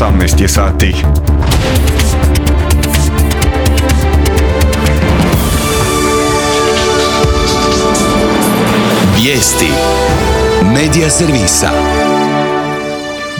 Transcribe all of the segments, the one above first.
18 je sati. Vijesti Medija servisa.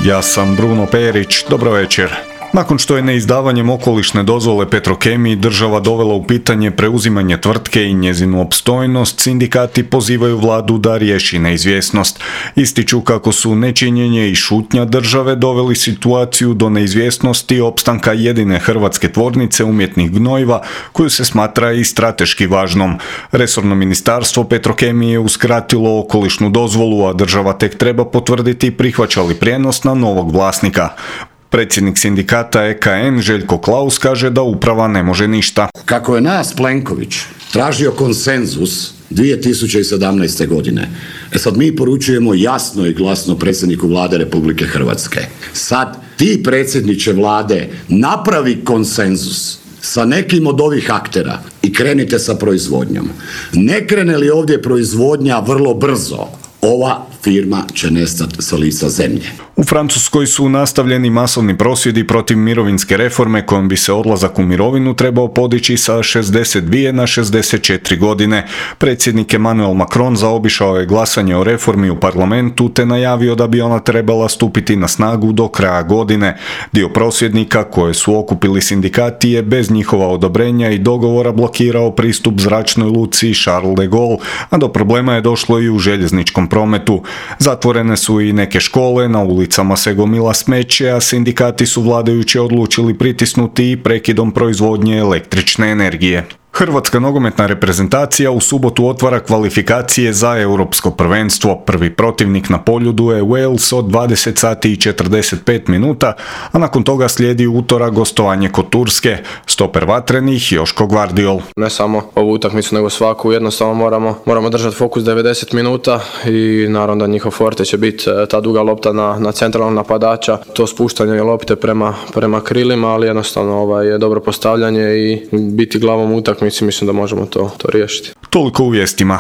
Ja sam Bruno Perić, dobro večer. Nakon što je neizdavanjem okolišne dozvole Petrokemiji država dovela u pitanje preuzimanje tvrtke i njezinu opstojnost, sindikati pozivaju vladu da riješi neizvjesnost. Ističu kako su nečinjenje i šutnja države doveli situaciju do neizvjesnosti opstanka jedine hrvatske tvornice umjetnih gnojiva, koju se smatra i strateški važnom. Resorno ministarstvo Petrokemije je uskratilo okolišnu dozvolu, a država tek treba potvrditi prihvaća li prijenos na novog vlasnika. Predsjednik sindikata EKN Željko Klaus kaže da uprava ne može ništa. Kako je nas Plenković tražio konsenzus 2017. godine, sad mi poručujemo jasno i glasno predsjedniku Vlade Republike Hrvatske. Sad ti predsjedniče Vlade napravi konsenzus sa nekim od ovih aktera i krenite sa proizvodnjom. Ne krene li ovdje proizvodnja vrlo brzo, ova firma će nestati sa lica zemlje. U Francuskoj su nastavljeni masovni prosvjedi protiv mirovinske reforme kojom bi se odlazak u mirovinu trebao podići sa 62 na 64 godine. Predsjednik Emmanuel Macron zaobišao je glasanje o reformi u parlamentu te najavio da bi ona trebala stupiti na snagu do kraja godine. Dio prosvjednika koje su okupili sindikati je bez njihova odobrenja i dogovora blokirao pristup zračnoj luci Charles de Gaulle, a do problema je došlo i u željezničkom prometu. Zatvorene su i neke škole, na ulicama se gomila smeće, a sindikati su vladajuće odlučili pritisnuti i prekidom proizvodnje električne energije. Hrvatska nogometna reprezentacija u subotu otvara kvalifikacije za europsko prvenstvo. Prvi protivnik na poljudu je Wales od 20 sati i 45 minuta, a nakon toga slijedi utorak gostovanje kod Turske. Stoper vatrenih Joško Gvardiol. Ne samo ovu utakmicu, nego svaku, jednostavno moramo držati fokus 90 minuta i naravno da njihov forte će biti ta duga lopta na centralnog napadača, to spuštanje lopte prema krilima, ali jednostavno je dobro postavljanje i biti glavom utakmici. Mislim da možemo to riješiti. Toliko u vijestima.